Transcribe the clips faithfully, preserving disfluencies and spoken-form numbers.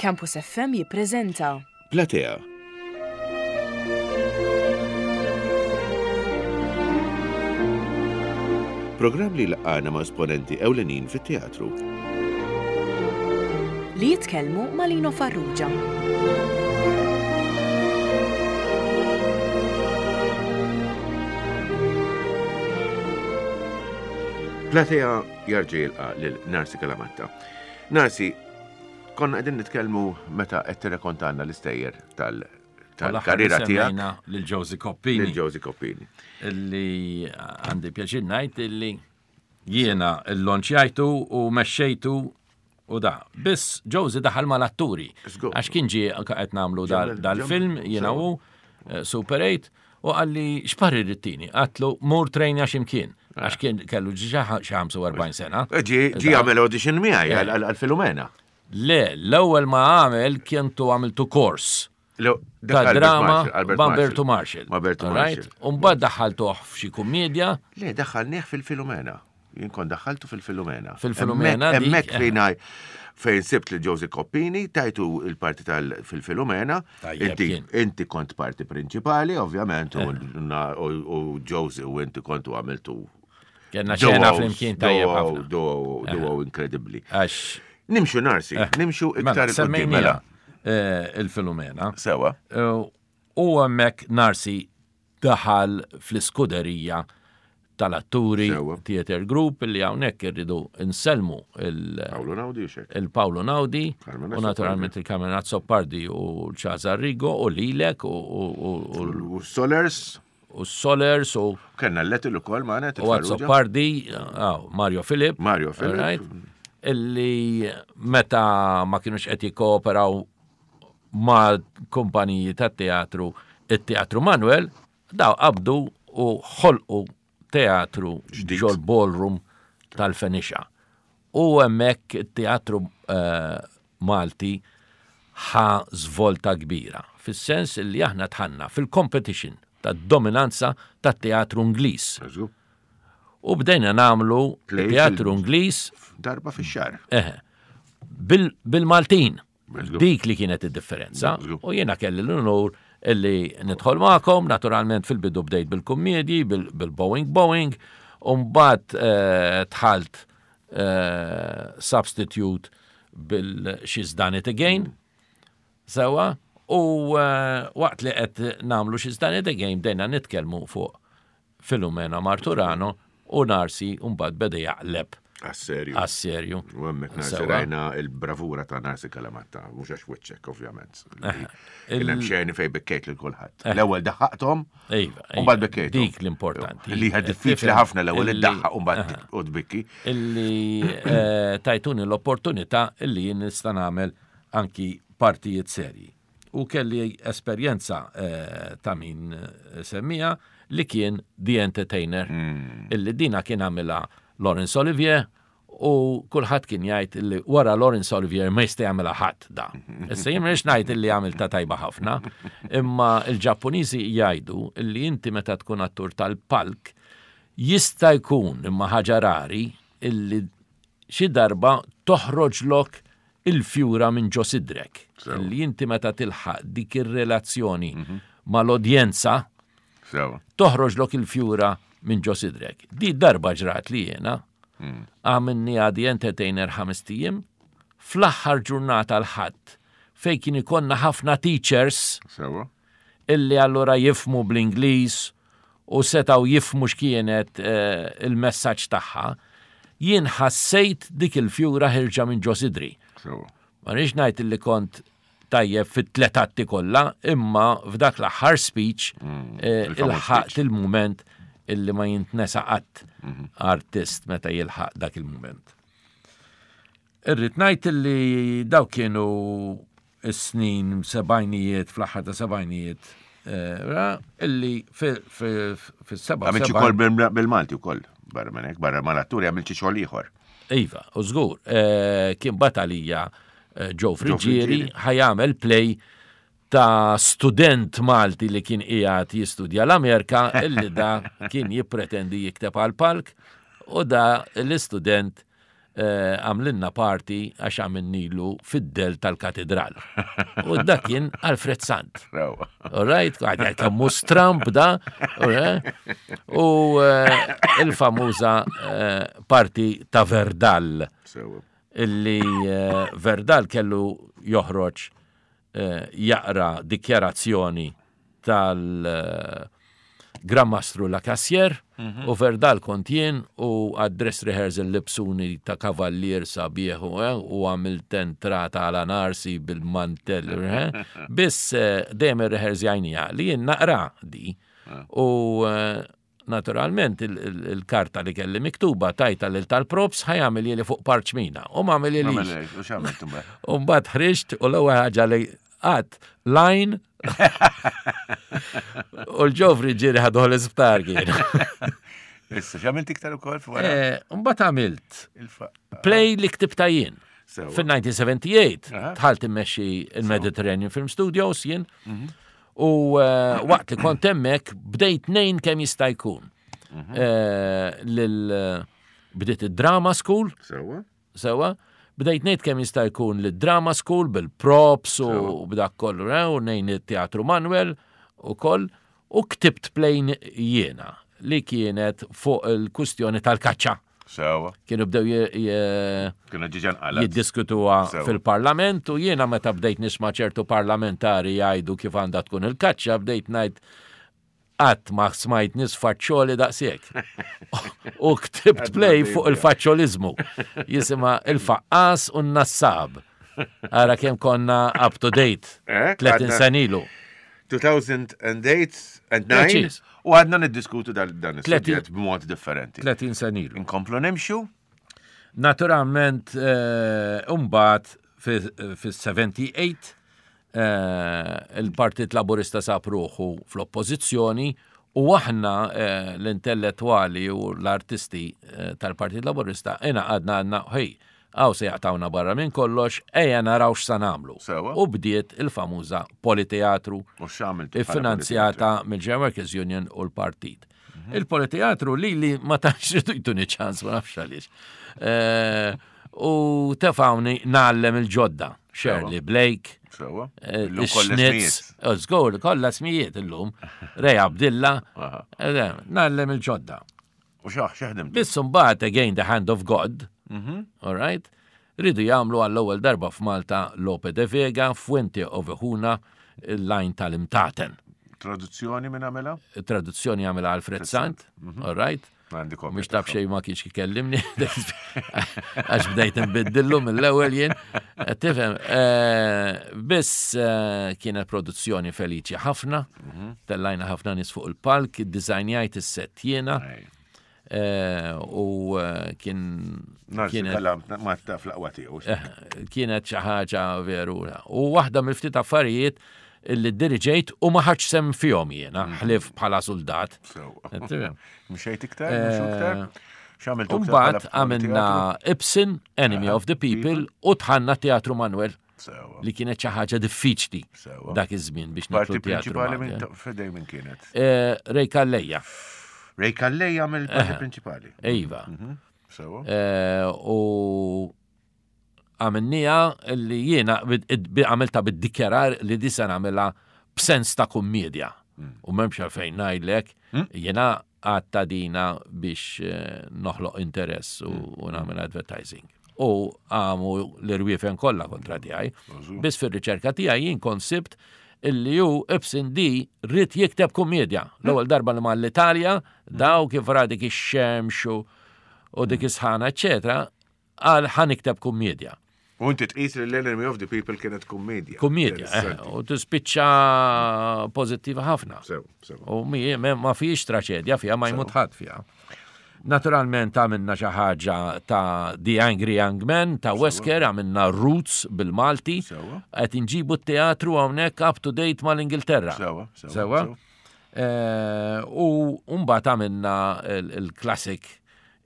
Campus F M jippreżenta Platea. Programm li laqana ma' esponenti ewlenin fit-teatru. Li jitkellmu ma' Lino Farrugia. Platea jarġa' jilqa' lil Narcy Calamatta. Narcy, konna qegħdin nitkellmu meta qed tirrekontanna l-istejjer tal- tal-karriera tiegħek. Lil Josie Coppini. Lil Josie Coppini. Illi għandi pjaċir ngħid illi jiena l-lonċjajtu u mexxejtu u da. Biss Josie daħal mal-atturi. Żgur. Għax kien ġie qed nagħmlu dal- Ġemmel, dal-film ġemmel, jiena sewa. u eh, Super eight u qalli x'parir rittini. Għatlu mur trejnja x'imkien. Għax kien kellu ġiġa xi ħamsa u erbgħin sena. Ġi ġi għamel audition miegħi Eh. għal- għal għal Filomena. Le, l-ewwel ma għamel kientu għamiltu kors Lo- dak ta' Albert drama Marshall, Albert ma' Bertu Marshall. Ma' Bertu All right? Marshall. U mbagħad daħħaltuh f'xi kummedja. Le, daħħalnieh fil-Filomena. Jien kont daħħaltu fil-Filomena. Fil-Filomena dik, Hemmhekk eh. fejn għaj- fejn sibt li Josie Coppini, tajtu il-parti tal fil-Filomena. Tajjeb Inti kien. inti kont parti prinċipali, ovvjament, u u- u Josie u inti kontu għamiltu Kenna xena duos, flimkien tajjeb duo, ħafna. duo, duo inkredibbli. Għax Nimxu Narcy, nimxu mela, iktar il-qoddim. semmejnija Mela, eh, il-Filomena. sewa. Eh, U hemmhekk Narcy daħal fl-iskuderija tal-atturi Sewa. Theater Group li hawnhekk irridu nselmu il- Paolo Naudi u xek. il-Paolo Naudi Carmen u naturalment il-Carmen Azzopardi u l-Ċazar Rigo u lilek u- u u- U Solers, u Solers u kellna l-letil ukoll magħna u Azzopardi, ah, Mario Filip. Mario Filip. Right? Illi meta ma kienux qed jikkooperaw ma' kumpaniji ta' teatru, it-Teatru Manuel, daw qabdu u ħolqu teatru Ġdid. ġol ballroom tal-Fenixa. U hemmhekk it-teatru eh, Malti ħa svolta kbira, fis-sens li aħna tħanna fil-competition tad-dominanza tat-teatru Ingliż. U bdejna namlu Play teatru fil- Ingliż Darba fix-xahar. eh, bil- bil-Maltin. Żgur. Dik li kienet id-differenza. Żgur. U jiena kelli l-unur illi nidħol magħkom, naturalment fil-bidu bdejt bil-kummedji, bil- bil-Boeing Boeing, u mbagħad eh, dħalt eh, substitute bil-She's Done It Again. Sewa, u eh, waqt li qed namlu She's Done It Again bdejna nitkellmu fuq Filomena Marturano u Narcy mbagħad beda jaqleb Għas-serju. għas-serju. U hemmhekk Narcy Sewa. rajna il-bravura ta' Narcy Calamatta, mhux għax wiċċek ovvjament. Kien hemm xeni fejn bikkejt lil kulħadd. L-ewwel daħħaqthom Iva, u mbagħad iva, bikkejthom. Dik l-importanti. Li hija diffiċli Tifhem ħafna l-ewwel illi- iddaħħaq u mbagħad u tbikki. Illi eh, tajtuni l-opportunità illi jien nista' nagħmel anki partijiet serji. U kelli esperjenza eh, ta' min eh, semmija li kien The Entertainer, illi dina kien għamilha Laurence Olivier u kulħadd kien jgħid illi wara Laurence Olivier ma jista' jagħmilha ħadd da. Issa jien mhux ngħid illi għamilta tajba ħafna, imma l-Ġappuniżi jgħidu illi inti meta tkun attur tal-palk jista' jkun imma ħaġa rari illi xi darba toħroġlok il-fjura minn ġo sidrek. Sewa. Illi inti meta tilħaq dik ir-relazzjoni mal-udjenza Sewa. toħroġlok il-fjura minn ġo sidrek. Di darba ġrat li jena, għamilni għadi Entertainer ħames ijiem, fl-aħħar ġurnata l-ħadd fej kien ikonna ħafna teachers Sewa. illi allura jifmu bl-Ingliż u setaw jifmu x'kienet eh, il-messaġġ tagħha, jien ħassejt dik il-fjura ħirġa minn ġo sidri. Sewa. Ma rridx ngħid illi kont tajjeb fit-tlet atti kollha, imma f'dak l-aħħar speech eh, il-famuż ilħaqt speech. il-mument illi ma jintnesa qatt artist meta jilħaq dak il-mument. Irrid ngħid illi daw kienu s-snin sebgħinijiet, fl-aħħar ta' sebgħinijiet, eh, ra, illi fis-seba' Għamilċi kol bil- bil-Malti ukoll, barra minn hekk, barra mal-atturi għamilċi xogħol ieħor. Iva, u żgur, eh, kien batalija eh, Joe Friggieri Friggieri. ħa jagħmel play ta' student Malti li kien qiegħed jistudja l-Amerika illi da kien jippretendi jikteb għal palk u da l-istudent eh, għamlinna parti għax għamilnilu fid-del tal-katedral. U dak kien Alfred Sant. Rawa. All right, għadja kemmu stramp da, all right? U eh, il-famuża eh, parti ta' Verdal, Sewa. illi eh, Verdal kellu joħroġ eh, jaqra dikjarazzjoni tal eh, Gran Mastru La Cassier u Verdal kont jien u għad-dress rehearsal libsuni ta' kavallier sabiħ u eh, u għamilt entrata għala Narsi bil-mantell. eh. Biss eh, dejjem ir-rehearsjajnija li jien naqra di u eh, naturalment il- il- il-karta li kelli miktuba tajta lil tal-props ħa jagħmel li fuq parċmina u ma għamel li U x'għamilt imbagħad? U mbagħad ħriġt u l-ewwel ħaġa li għat line u l-ġofri ġiri ħaduh l-isptar kien. Issa, x'għamilt iktar ukoll wara Eh, Mbagħad għamilt il-fa. play li ktibta jien. Sewa. Fil-elf disa' mija u sebgħa u sebgħin Aha. dħalt immexxi il-Mediterranean Film Studios jien. U eh, waqt li kont hemmhekk bdejt nejn kemm jista' jkun. Eh, Lil bdiet id-drama school, Sewa. sewa, bdejt ngħid kemm jista' jkun lid drama school bil-props u b'dak kollu, eh, u nejn it-teatru Manuel u koll, u ktibt play jiena li kienet fuq il-kustjoni tal-kaċċa. Sewa. Kienu bdew je- je- Kienu ġiġan qalat. jiddiskutuha Sewa. fil-parlament u jiena meta bdejt nisma' ċertu parlamentari jgħidu kif għandha tkun il-kaċċa bdejt ngħid qatt ma smajt nies faċċoli daqshekk. U ktibt play fuq il-faċċoliżmu. Jisimha il-faqqas u n-nassab. Ara kemm konna up to date. Eh, tletin għadna- sena ilu. two thousand eight and nine Preċiż. u għadna niddiskutu dan dan is-suġġett Tletin- b'mod differenti. tletin sena ilu. Inkomplu nimxu? Naturalment, eh, umbagħad fis-sebgħa u sebgħin eh, il-Partit Laburista sab ruħu fl-oppożizzjoni u aħna eh, l-intellettuali u l-artisti eh, tal-Partit Laburista ingħaqadna għedna ħej, għaw se jaqtawna barra minn kollox, ejja naraw x'sa nagħmlu. Sewa. U bdiet il-famuża Politeatru U x'għamiltu bħala iffinanzjata mill-General Workers Union u l-partit. Il-Politeatru li li ma tantx ridu jtuni ċans, ma nafx għaliex. Eh, U tefawni ngħallem il-ġodda. Shirley Blake, Sewa. eh, Illum kollha Schnitz, smijiet. żgur, kollha smijiet illum, Ray Abdilla, Aha. eh, ngħallem il-ġodda. U xaħ, x'ħdimt? Biss mbagħad again the hand of God, all right, ridu jagħmlu għall-ewwel darba f'Malta Lope de Vega, Fuente Ovejuna, il-line tal-imtaten. Traduzzjoni minn għamela? Traduzzjoni għamela Alfred Sant, all right? Għandi kopja. Mux taf xej ma kienx kikellimni, għax bdejt nbiddillu mill-ewwel jien. Tifhem, eh, biss eh, kienet produzzjoni feliċi ħafna, tellajna ħafna nies fuq il-palk, dizajnjajt is-set jiena, Ej. eh, u eh, kien Narsi kienet kalam ma taf l-aqwa tiegħu. eh, kienet xi ħaġa veru. U waħda mill-ftit affarijiet illi diriġejt u ma ħadx sehem fihom jiena, ħlif bħala soldat. Sewa. Tifhem? Mxejt iktar, mxu iktar? X'għamiltu iktar Umbagħad bħala għamilna Ibsen, Enemy of the People, u dħalna Teatru Manuel Sewa. li kienet xi ħaġa diffiċli Sewa. dak iż-żmien biex Parti nidħlu Teatru prinċipali minn Manuel. fedej minn kienet. Eh, Ray Calleja, Ray Calleja mill-parti prinċipali. Iva. Sewa. Eh, U għamilnieha li jiena bid- id- għamilta bid-dikjarar li di se nagħmilha b'sens ta' kummedja. U m'hemmx għalfejn ngħidlek, jiena għatta dina biex eh, noħloq interess u, u nagħmel advertising. U għamu l-irwiefen kollha kontra tiegħi. Biss fir-riċerka tiegħi jien kont sibt illi ju Ibsen di ried jikteb kummedja. L-ewwel darba li mar l-Italja, daw kif ra dik ix-xemx u u dik is-sħana, eċetera, għal ħa nikteb kummedja. U inti tqis li l-Enemy of the People kienet kummedja. Kummedja, eh, Interessanti. u tispiċċa pożittiva ħafna. Sew, sew. U mi, me- ma fiex traċedja fija, ma jmut ħadd fija. Naturalment għamilna xi ħaġa ta' The Angry Young Man ta' Wesker, għamilna Roots bil-Malti, Sewa. qed inġibu t-teatru hawnhekk up to date mal-Ingilterra. Sewa, sewa, Sewa. sewa. Eh, U mbagħad għamilna il-classic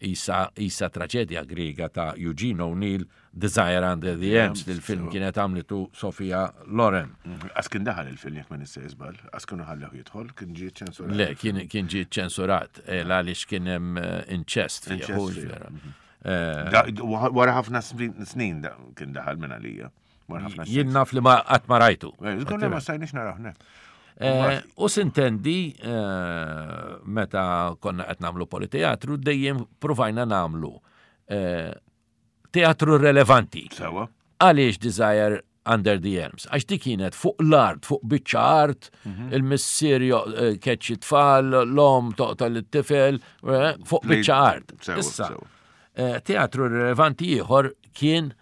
isa, isa traġedja griega ta' Eugene O'Neill, Desire Under the Elms, li l-film kienet għamlitu Sofia Loren. Għas kien daħal il-film jekk ma nista' żball, għas kienu ħallew jidħol, kien ġie ċensurat. Le, kien, kien ġie ċensurat, eh, għaliex kien hemm eh, inċest fih. Inċest hu fih, vera. Eh, Wara ħafna snin kien daħal minn għalija. Jien naf li ma qatt ma rajtu. Żgur ma stajniex naraw, eh, u sintendi meta konna qed nagħmlu politeatru dejjem provajna nagħmlu teatru relevanti. Sewa. Għaliex Desire Under the Elms? Għax di kienet fuq l-art, fuq biċċa art, mhm. il-missier eh, keċċi tfal, l-om toqtol it-tifel, eh, fuq biċċa art. Issa, eh, teatru relevanti ieħor kien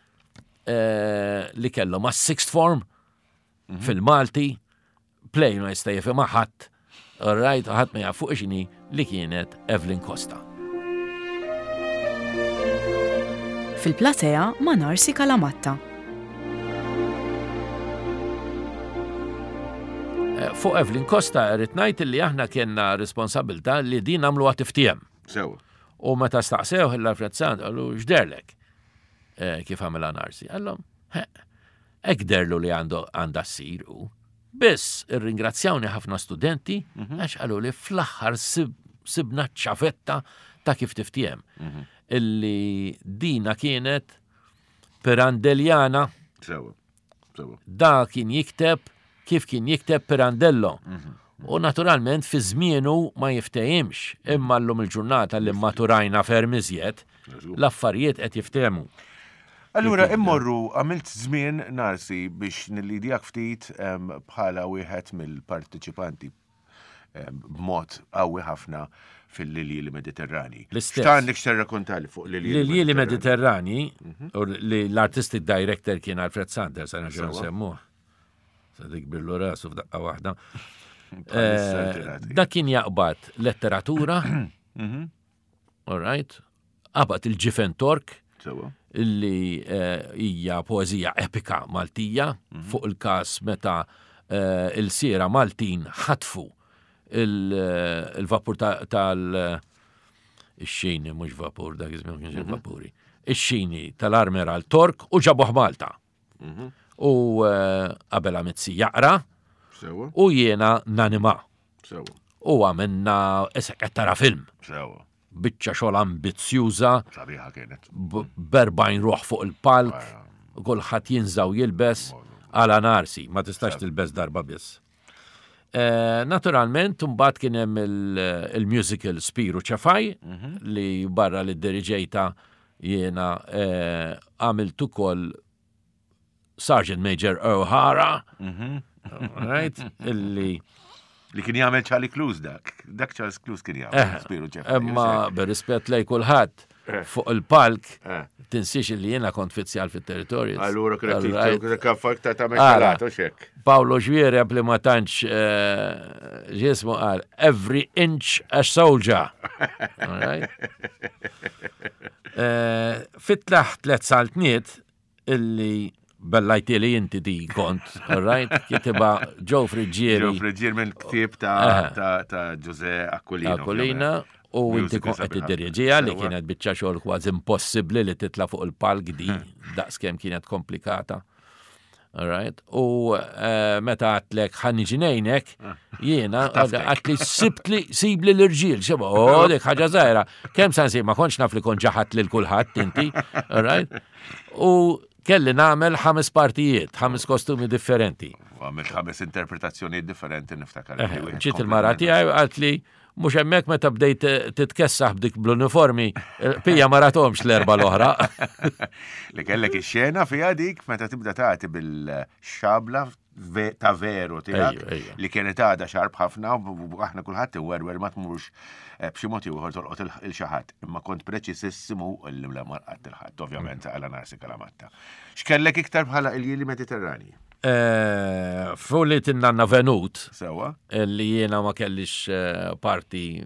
li kellu ma' sixth form mhm. fil-Malti, play ma jista' jifhimha ħadd, all right, ħadd ma jaf fuq x'inhi li kienet Evelyn Costa. Fil-platea ma' Narsi Kalamatta. Eh, fuq Evelyn Costa rrid ngħid li aħna kienna responsabilità li din nagħmluha tiftiem. Sew. U meta staqsew l-Alfred Sant qalu x'derlek eh, kif għamilha Narsi. Qallhom, hekk derlu li għandu għandha ssir u. Biss irringrazzjawni ħafna studenti mhm. għax qalu li fl-aħħar sibna ċafetta ta' kif tiftiem. Mhm. Illi dina kienet Pirandelliana. Sewa. Sewa. Da kien jikteb kif kien jikteb Pirandello. Mhm. U naturalment fi żmienu ma jiftehimx, imma llum il-ġurnata li maturajna ferm iżjed, l-affarijiet qed jiftehmu. Allura immorru għamilt żmien Narsi biex nillidjak ftit bħala wieħed mill-partiċipanti b'mod qawwi ħafna fil-Lilji Mediterrani. X'għandek x'tirrakkontali fuq Lilji Lilji Mediterrani, mhm. u li l-artistic director kien Alfred Sanders, għana ġew semmuh. Sa dik billu rasu f'daqqa waħda. Eh, dak kien jaqbad letteratura, mhm. all right, qabad il-ġifen Tork, illi eh, hija poeżija epika Maltija mhm. fuq il-każ meta eh, il-siera Maltin ħatfu il-vapur tal- ix-xini, mhux vapur, dak iż-żmien kienx mhm. vapuri. Ix-xini tal-Armeral Tork u ġabuh Malta. Mhm. U eh, qabel Mizzi jaqra u jiena nanima. U għamilna isek qed tara film. Sewa. Biċċa xogħol ambizzjuża. Sabiħa kienet. B'erbgħin ruħ fuq il-palk, kulħadd jinżaw jilbes għala narsi, ma tistax tilbes darba biss. Eh, naturalment, mbagħad kien hemm il-musical Spiru Ċefaj mhm. li barra li diriġejta jiena eh, għamilt ukoll Sergeant Major O'Hara, mhm. right, illi Li kien jagħmel Charlie Clues dak. Dak Charles Clues kien jagħmel. Eh, Spiru Ċefaj. Imma bir-rispett lej kulħadd eh. fuq il-palk eh. tinsiex li jiena kont fizzjal fit-territorju. Allura kien kaffak ta' ta' mekkalat u xek. Paolo Ġwiereb li ma tantx ġismu qal every inch a soldier. Fit-tlaħ tlet saltniet illi bellajtili inti di kont, all right? Kitibha Joe Friggieri. Joe Friggieri minn ktieb ta' ta' Jose Aquilina. Aquilina u inti kont qed tiddiriġiha li kienet biċċa xogħol kważi impossibbli li titla' fuq il-palk di daqskemm kienet komplikata. All right? U eh, meta għatlek ħa niġi ngħinek, jiena għatli sibtli sibli l-irġiel, xeba, oh, dik ħaġa żgħira. Kemm sa nsib ma kontx naf li kont ġaħat lil kulħadd inti, all right? U kelli nagħmel ħames partijiet, ħames kostumi differenti. U għamilt ħames interpretazzjonijiet differenti niftakar. Eh, ġiet il-mara tiegħi għalt li mhux hemmhekk meta bdejt titkessaħ b'dik bl-uniformi, eh, pija ma ratomx l-erba l-oħra. Li kellek ix-xena fiha dik meta tibda tagħti bil-xabla ta' veru tiegħek li kienet għadha xarb ħafna u aħna kulħadd iwerwer ma tmurx eh, b'xi mod ieħor tolqot il xi ħadd. Imma kont preċisissimu li ma lqatt il-ħadd, ovvjament mm. għala Narsi Kalamatta. X'kellek iktar bħala il-jili Mediterrani? Eh, Fu li tinnanna Venut. Sewa. Li jiena ma kellix eh, parti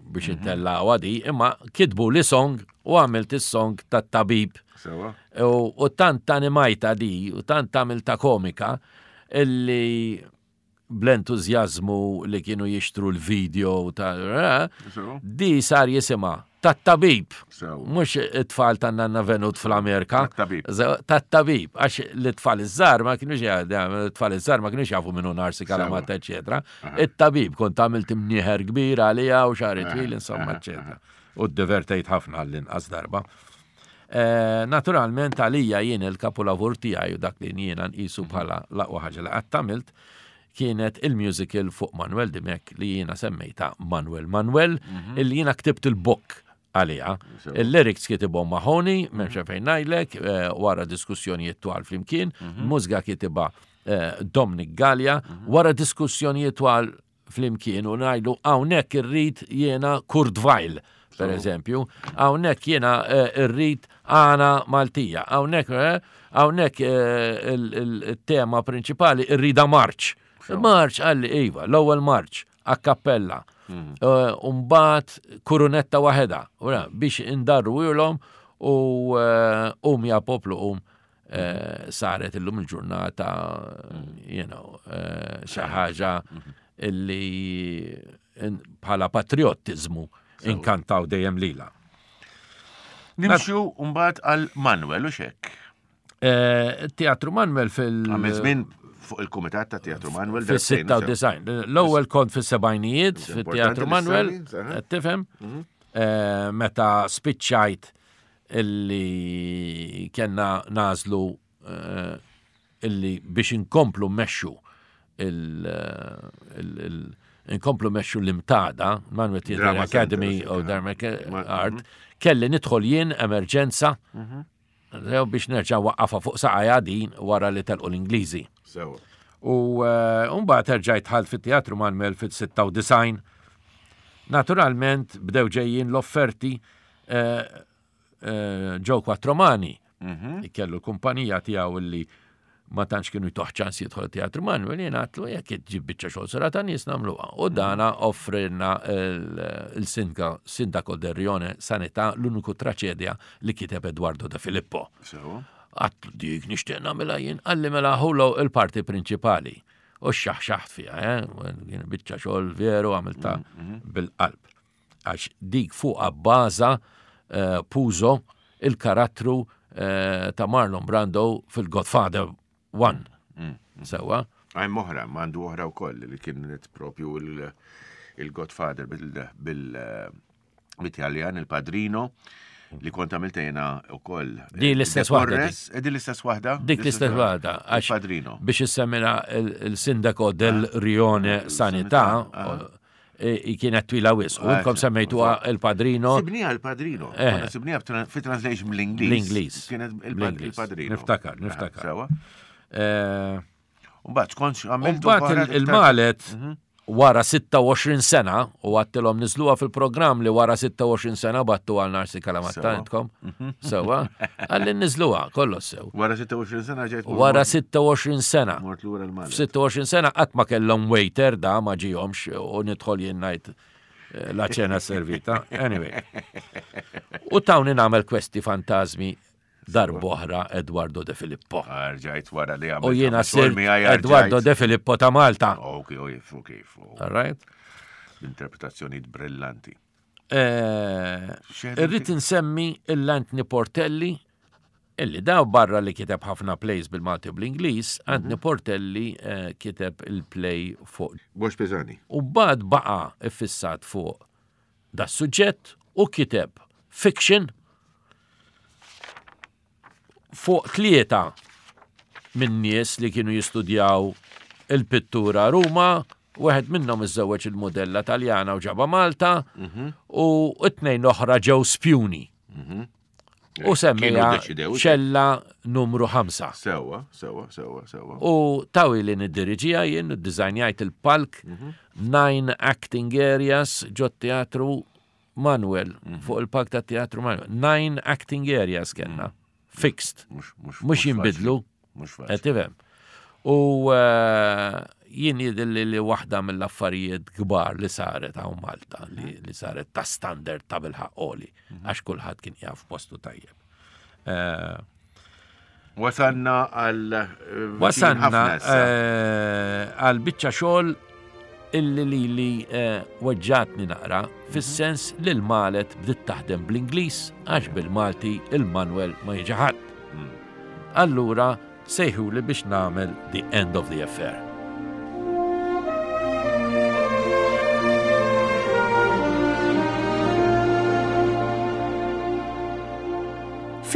biex mhm. intella għadi, imma kitbu li song u għamilt is-song tat-tabib. Sewa. U tant animajta di, u tant għamilta komika, illi bl-entużjażmu li kienu jixtru l-video ta' eh, di sar jisimha tat-tabib. Mhux it-tfal ta' Nanna Venut fl-Amerika. Tat-tabib. Għax l-tfal iż-żgħar ma kienux it-tfal iż-żgħar ma kienux jafu minnu Narsi Kalamatta, eċetera. It-tabib kont għamilt imnieħer kbir għalija u xagħri twil, insomma, eċetera. U ddivertejt ħafna għall-inqas darba. Eh, naturalment għalija jien il-kapulavur tiegħi u dak li jiena nqisu bħala l-aqwa ħaġa li qatt għamilt kienet il-musical fuq Manuel Dimech li jiena semmejta Manuel Manuel, mhm. illi jiena ktibt il-book għalija. Il-lyrics kitibhom Mahoney, m'hemmx fejn ngħidlek, eh, wara diskussjonijiet twal flimkien, mhm. mużika kitibha eh, Dominic Gallia, mhm. wara diskussjonijiet twal flimkien u ngħidu hawnhekk irrid jiena Kurt Weill, per eżempju, hawnhekk jiena eh, irrid għana Maltija, hawnhekk hawnhekk il-tema prinċipali irrida marċ. Marċ qalli iva, l-ewwel marċ, a cappella. Mhm. Eh, Umbat kurunetta waħeda, biex indarru ilhom u eh, um ja poplu um eh, saret illum il-ġurnata, mhm. you know, xi ħaġa mhm. illi bħala patriottiżmu inkantaw dejjem lila. Nimxu mbagħad għal Manuel u xek. Eh, Teatru Manuel fil- Għamil żmien fuq il-Kumitat ta' Teatru Manuel. Fil-sitta u disgħin. L-ewwel kont fis-sebgħinijiet fit-Teatru Manuel, tifhem? Mhm. Eh, meta spiċċajt illi kellna nagħżlu eh, illi biex inkomplu mmexxu il- inkomplu mmexxu l-MTADA, Manuel Theatre Academy of Drama Art, mhm. kelli nidħol jien emerġenza mhm. biex nerġa' waqqafa fuq saqajja din wara li telqu l-Ingliżi. U eh, mbagħad erġajt dħalt fit-Teatru Manuel fit-sitta u disgħin. Naturalment bdew ġejjin l-offerti eh, eh, Joe Quattromani. Mhm. Kellu l-kumpanija tiegħu illi ma tantx kienu jtuh ċans jidħol Teatru Manuel, jien għedtlu jekk ġib biċċa xogħol sura ta' nies nagħmluha. U dana offrinna il-Sindaco del Rione Sanità, l-uniku traċedja li kiteb Eduardo De Filippo. Għedtlu dik nixtieq nagħmilha jien, qalli mela ħulu il-parti prinċipali. U xaħxaħt fiha, eh? Biċċa xogħol veru għamilta mhm, mhm. bil-qalb. Għax dik fuq baża eh, Puzo il-karattru eh, ta' Marlon Brando fil-Godfather one. Mm. Sewwa? Għajm oħra, mandu oħra u koll li kienet propju il-Godfather bil-Italjan, il-Padrino, li kont għamilta jena u koll. Di l-istess waħda. Eh, di l-istess waħda? Dik l-istess waħda. Padrino. Biex issemmina il-Sindaco del ah. Rione Sanità, ah. Kienet twila wisq. U inkom semmejtuha il-Padrino. Sibniha il-Padrino. Eh. Sibniha fi translation bl-Ingliż. L-Ingliż. Kienet il-Padrino. Niftakar, niftakar. Sewwa. Mbagħad kontx għamilt. Mbagħad il-Malet mhm. wara sitta u għoxrin sena u għedtilhom niżżluha fil-programm li wara sitta u għoxrin sena battu għal Narsi Kalamatta intkom. Mhm. Sewwa, qalli niżżluha, kollox sew. Wara sitta u għoxrin sena ġejt. Wara sitta u għoxrin sena. Mort lura l-Malet. F' sitta u għoxrin sena qatt ma kellhom waiter da ma ġihomx u nidħol jien ngħid eh, la cena servita. Anyway. U tawni nagħmel kwesti fantasmi darb'oħra Eduardo De Filippo. Rġajt wara li għamilt. U jiena sirt Eduardo De Filippo ta' Malta. Ok, ok, ok. All right? Interpretazzjoni brillanti. Eh, irrid insemmi l-Anthony Portelli, illi daw barra li kiteb ħafna plays bil-Malti u bl-Ingliż, Anthony mhm. Portelli eh, kiteb il-play fuq. Box Pisani. U bad baqa iffissat fuq da suġġett u kiteb fiction fuq tlieta minn nies li kienu jistudjaw il-pittura Ruma, wieħed minnhom iżżewweġ il-modella Taljana u ġaba Malta, mhm. u t-tnejn oħra ġew spjuni. Mhm. U semmija ċella numru ħamsa. Sewwa, sewwa, sewwa, sewwa. U tawi li niddiriġija jien, dizajnjajt il-palk, mhm. nine acting areas ġo teatru Manuel, fuq il-palk ta' teatru Manuel. Nine acting areas kellna, fixed. Mhux jinbidlu. Mhux Tifhem. U eh, jien jidhirli li waħda mill-affarijiet kbar li saret hawn Malta, li, li saret ta' standard ta' bil-ħaqqoli, mhm. għax kulħadd kien jaf postu tajjeb. Eh, Wasanna għal. Eh, Wasanna għal biċċa xogħol illi li li weġġatni naqra, fis-sens li l-Malet bdiet taħdem bl-Ingliż għax bil-Malti il-Manuel ma jiġi ħadd. Hmm. Allura sejħu li biex nagħmel The End of the Affair.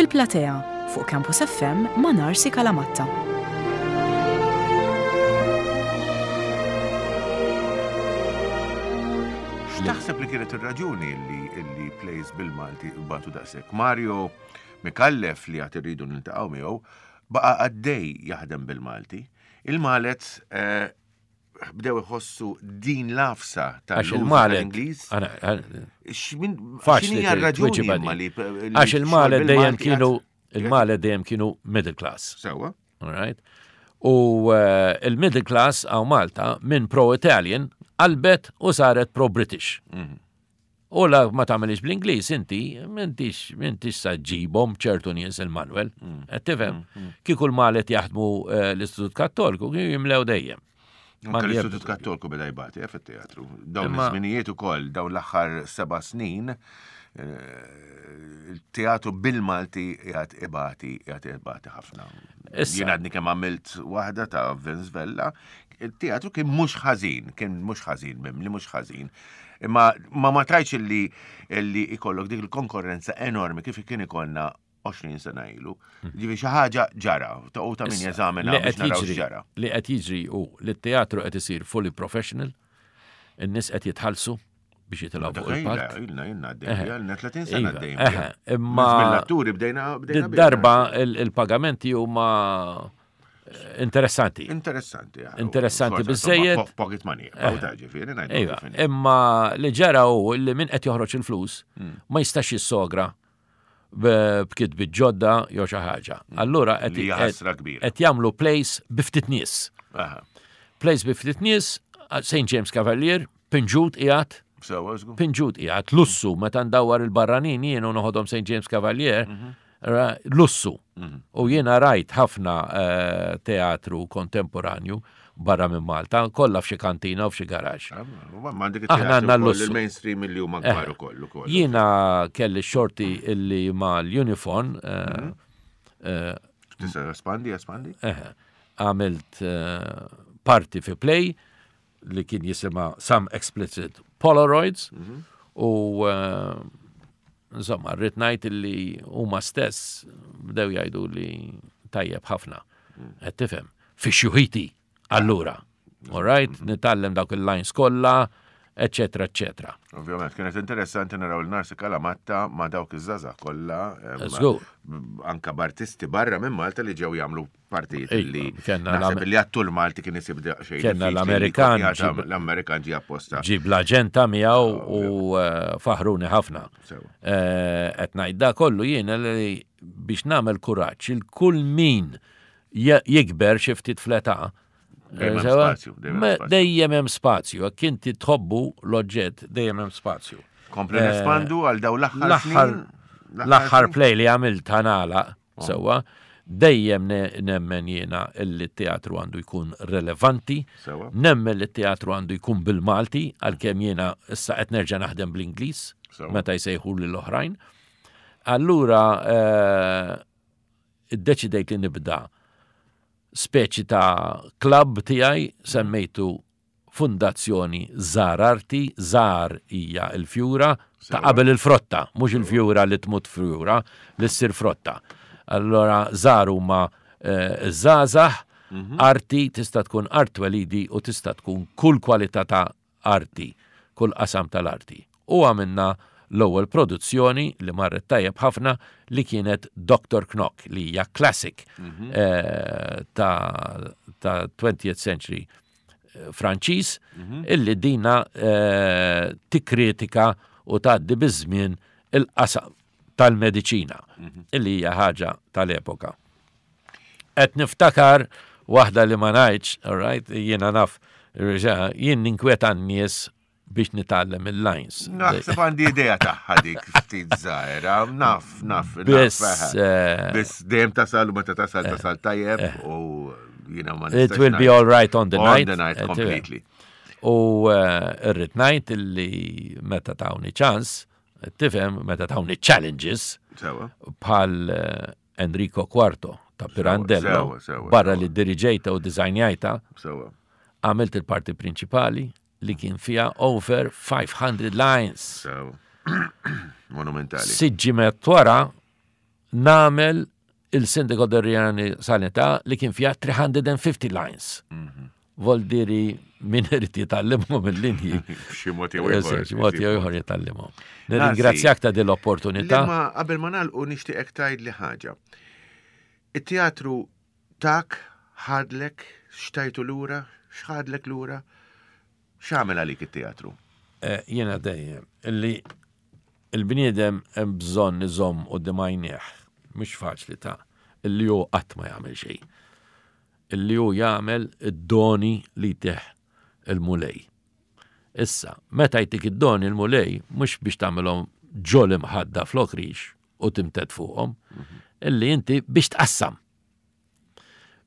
Fil-Platea fuq Campus F M ma' Narsi Kalamatta. X'taħseb li kienet ir-raġuni li li plays bil-Malti batu daqshekk? Mario Micallef, li għad irridu niltaqgħu miegħu, baqa' għaddej jaħdem bil-Malti. Il-Malet eh, bdew iħossu din l-għafsa Għax tal il-Malet. tal-Ingliż. Għana- għana- X'min- Faċli X'inhi r-raġuni tweġiba imma di. li li Għax il-Malet xogħol dejjem bil-Malti kienu għad- il-Malet dejjem kienu middle class. Sewwa. All right? U eh, il-middle class hawn Malta minn pro-Italian qalbet u saret pro-British. U la ma tagħmelix bl-Ingliż inti, m'intix m'intix sa ġibhom ċertu nies il-Manuel. Qed tifhem? Kieku l-Malet jaħdmu eh, l-Istitut Kattoliku kienu jimlew dejjem. Anke Ma l-Istitut Kattoliku beda jbati eh, fit-teatru. Dawn Imma- iż-żminijiet ukoll, dawn l-aħħar seba' snin, eh, il-teatru bil-Malti qiegħed ibati, qiegħed ibati ħafna. Issa. Jien għadni kemm għamilt waħda ta' Vince Vella, il-teatru kien mhux ħażin, kien mhux ħażin, mimli mhux ħażin. Imma ma ma tajx illi illi ikollok dik il-konkurrenza enormi kif kien ikollna għoxrin sena ilu. Ġifieri xi ħaġa ġara, ta' u ta' min Issa, jeżamina li biex qed naraw jiġri x'ġara. li qed jiġri u li t-teatru qed isir fully professional, in-nies qed jitħallsu biex jitilgħu fuq il-palk. Ilna, ilna għaddejn, ilna tletin sena Iva, għaddejn. eħe, imma Mill-atturi bdejna bdejna biha. darba il-pagamenti huma eh, interessanti. Interessanti. ja. Interessanti Forse, biżżejjed. insomma, po- Pocket money, bawta ġifieri, ngħidu Iva, kif inhi. imma li ġara hu li min qed joħroġ il-flus ma jistax jissogra b- b'kitbiet ġodda jew xi ħaġa. Allura qed Li hija ħasra kbira. qed jagħmlu plays bi ftit nies. Aha. Plays bi ftit nies, Saint James Cavalier, pinġut qiegħed, Sewwa, żgur. pinġut qiegħed, lussu meta ndawwar il-barranin jien u noħodhom Saint James Cavalier, ra- lussu. U jiena rajt ħafna eh, teatru kontemporanju barra minn Malta, kollha f'xi kantina u f'xi garaġ. Ah, Ma għandek Aħna it-teatru għandna ukoll l-lussu. il-mainstream li huma kbar ukoll ukoll. Jiena kelli xorti illi ma l-Unifon eh, eh, Tista' espandi, espandi? eh, għamilt eh, parti fi play li kien jisima Some Explicit Polaroids u eh, insomma rrid ngħid illi huma stess bdew jgħidu li tajjeb ħafna. Qed tifhem, fi xjuħiti allura. All right, nitgħallem dawk il-lines kollha, eccetera, eccetera. Ovvjament, kienet interessanti naraw il-Narsi Kalamatta ma dawk iż-żgħażagħ kollha. em, Żgur. Anka b'artisti barra minn Malta li ġew jagħmlu partijiet Iva, li kellna naħseb l-Amer- li għattu l-Malti kien isib xejn. Kellna diffiċli li l-Amerikan jkun jagħta- ġib- L-Amerikan ġi apposta. Ġib l-aġenta miegħu u eh, faħruni ħafna. Sewa. Eh, Qed ngħid da kollu jiena li biex nagħmel kuraġġ il kull min je- jikber xi ftit fl-età. Dejjem hemm eh, sewa, spazju, dejjem hemm me- spazju. Dejjem hemm spazju, jekk inti tħobbu l-oġġett dejjem hemm spazju. Kompli nespandu għal daw l-aħħar L-aħħar snin. l-aħħar snin? play li għamilt ħanala sewwa, dejjem ne- nemmen jiena illi t-teatru għandu jkun relevanti, Sewwa. nemmen li t-teatru għandu jkun bil-Malti, għalkemm jiena issa qed nerġa' naħdem bl-Ingliż Sewwa. meta jsejħu lil oħrajn. Allura eh, iddeċidejt li nibda speċi ta' club tiegħi semmejtu Fundazzjoni Żar Arti, Żar hija il-fjura ta' Sewwa. qabel il-frotta, mhux il-fjura li tmut fjura, li ssir frotta. Allora żar huma eh, żgħażagħ, arti tista' tkun art twelidi u tista' tkun kull kwalità ta' arti, kull qasam tal-arti. U għamilna l-ewwel produzzjoni li marret tajjeb ħafna li kienet Doctor Knock li hija classic eh, ta' ta' twentieth century eh, Franċiż illi dina eh, tikkritika u tgħaddi biż-żmien il-qasam tal-mediċina illi hija ħaġa tal-epoka. Qed niftakar waħda li ma ngħidx, all right, jiena naf, jien ninkweta n-nies biex nitgħallem il-lines. Naħseb għandi idea tagħha dik ftit żgħira, naf, naf, naf. Biss, eħe. eh, Biss dejjem tasal u meta tasal tasal tajjeb u jiena ma It nistax will be ngħid. all right on the On night. the night Eh, completely. U eh, irrid ngħid illi meta tawni ċans, tifhem, meta tawni challenges Sewwa. bħal eh, Enrico Quarto ta' Pirandello, sewa, sewa, barra sewa. li diriġejta u dizajnjajta, Sewwa. għamilt il-parti prinċipali li kien fija over five hundred lines. Sewwa. Monumentali. Sitt ġimgħat wara nagħmel il-Sindaco Doriani Sanità li kien fiha three hundred and fifty lines. Voldiri min irid jitgħallimhom il-linji. Xi mod jew ieħor. Xi mod jew ieħor jitgħallimhom. Nirringrazzjak ta' din l-opportunità. Ma qabel ma nagħlqu nixtieqek tgħid li ħaġa. It-teatru tak ħadlek xtajtu lura, x'ħadlek lura? X'għamel għalik it-teatru? Eh, Jiena dejjem illi il-bniedem hemm bżonn iżomm quddiem għajnejh, mhux faċli ta' illi hu qatt ma jagħmel xejn. Illi hu jagħmel id-doni li jtih il-Mulej. Issa, meta jtik id-doni il-Mulej, mhux biex tagħmelhom ġol imħadda flok rix u timted fuqhom, illi inti biex tqassam.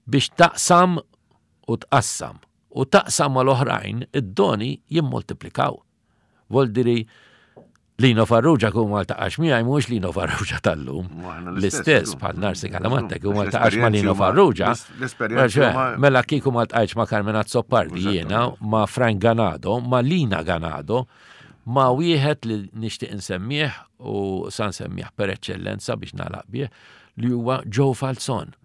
Biex taqsam u tqassam. U taqsam mal-oħrajn, id-doni jimmultiplikaw. Voldiri, Lino Farrugia kun ma ltaqax miegħi mhux Lino Farrugia tal-lum. L-istess bħal Narsi Calamatta kun ma ltaqax ma' Lino Farrugia. Mela kieku ma ltqajtx ma' Carmen Azzopardi jiena, ma' Frank Ganado, ma' Lina Ganado, ma' wieħed li nixtieq insemmih u sa nsemmih per eċċellenza biex nagħlaq bih li huwa Joe Falzon.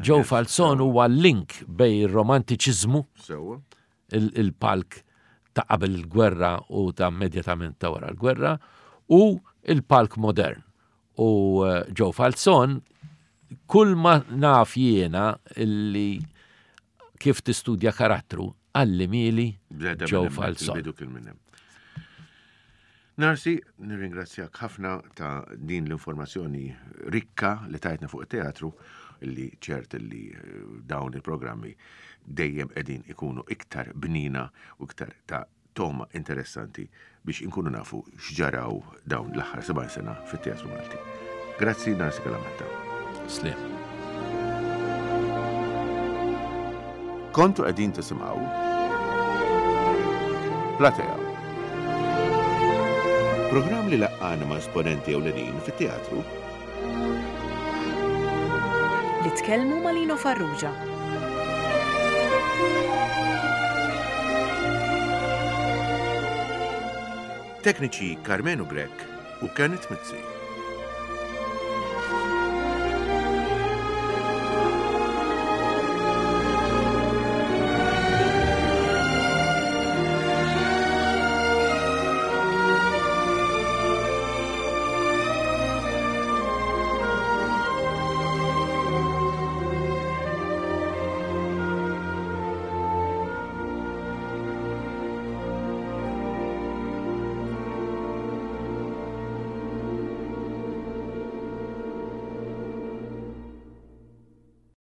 Joe Falzon huwa link bejn ir-romantiċiżmu, il-palk ta' qabel il-gwerra u ta' immedjatament ta' wara l-gwerra, u il-palk modern. U eh, Joe Falzon, kull ma naf jiena illi kif tistudja karattru, għallimhieli Joe Falzon. Narsi, nirringrazzjak ħafna ta' din l-informazzjoni rikka li tajtna fuq it-teatru, illi ċert li eh, dawn il-programmi dejjem qegħdin ikunu iktar bnina u iktar ta' toma interessanti biex inkunu nafu x'ġaraw dawn l-aħħar seba' sena fit-teatru Malti. Grazzi, Narsi Calamatta. Sliem. Kontu qegħdin tisimgħu Platea. Programm li laqqana ma' esponenti ewlenin fit-teatru li tkellmu ma' Lino Farrugia. Tekniċi Carmenu Grech u Kenneth Mizzi.